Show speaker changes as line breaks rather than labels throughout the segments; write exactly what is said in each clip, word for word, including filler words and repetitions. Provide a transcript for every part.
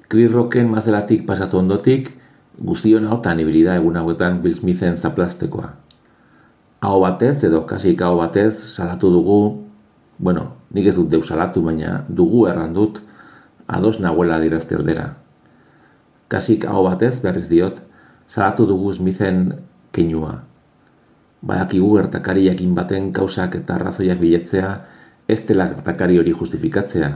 Chris Rocken mazelatik pasatu ondotik, guztion hautan ibilida egun hauetan Will Smithen zaplastekoa. Aho batez edo kasik aho batez salatu dugu, bueno, nik ez dut deus salatu, baina dugu erran dut ados nahuela dirazte aldera. Kasik aho batez berriz diot, salatu dugu Smithen keinua. Badakigu gertakari jakin baten kausak eta arrazoiak biletzea ez dela gertakari hori justifikatzea,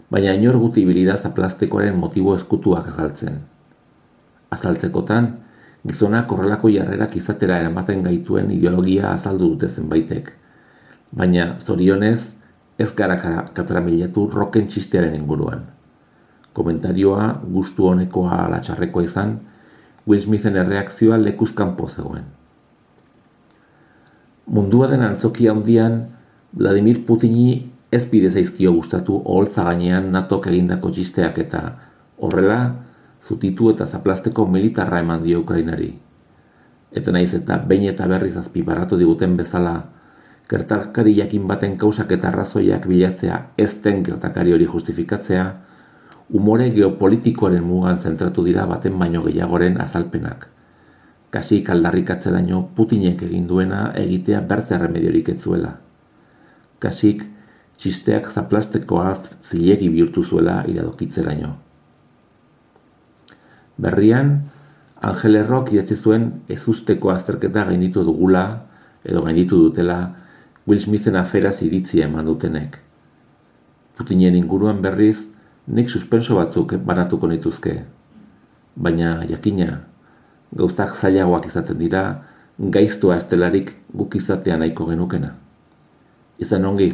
baina inor guti ibilida zaplastekoaren motibo ezkutuak azaltzen. Azaltzekotan, gizonak horrelako jarrerak izatera eramaten gaituen ideologia azaldu dute zenbaitek, baina zorionez ez gara katramilatu Rocken txistearen inguruan. Komentarioa gustu honekoa ala txarrekoa izan, Will Smithen erreakzioa lekuz kanpo zegoen. Mundua den antzokia handian, Vladimir Putini ez bide zaizkio gustatu oholtza gainean natok egindako txisteak eta horrela zutitu eta zaplasteko militarra eman dio Ukrainari. Eta naiz eta behin eta berriz azpimarratu diguten bezala, gertakari jakin baten kausak eta arrazoiak bilatzea ez den gertakari hori justifikatzea, umore geopolitikoaren mugan zentratu dira baten baino gehiagoren azalpenak. Kasik aldarrikatzeraino Putinek egin duena egitea bertze erremediorik ez zuela. Kasik txisteak zaplastekoa zilegi bihurtu zuela iradokitzeraino. Berrian, Angel Errok idatzi zuen ezusteko azterketa gainditu dugula edo gainditu dutela Will Smithen aferaz iritzia eman dutenek. Putinen inguruan berriz, nik suspenso batzuk banatuko nituzke. Baina, jakina, gauztak zailagoak izaten dira, gaiztua estelarik guk izatea nahiko genukena. Izan ongi.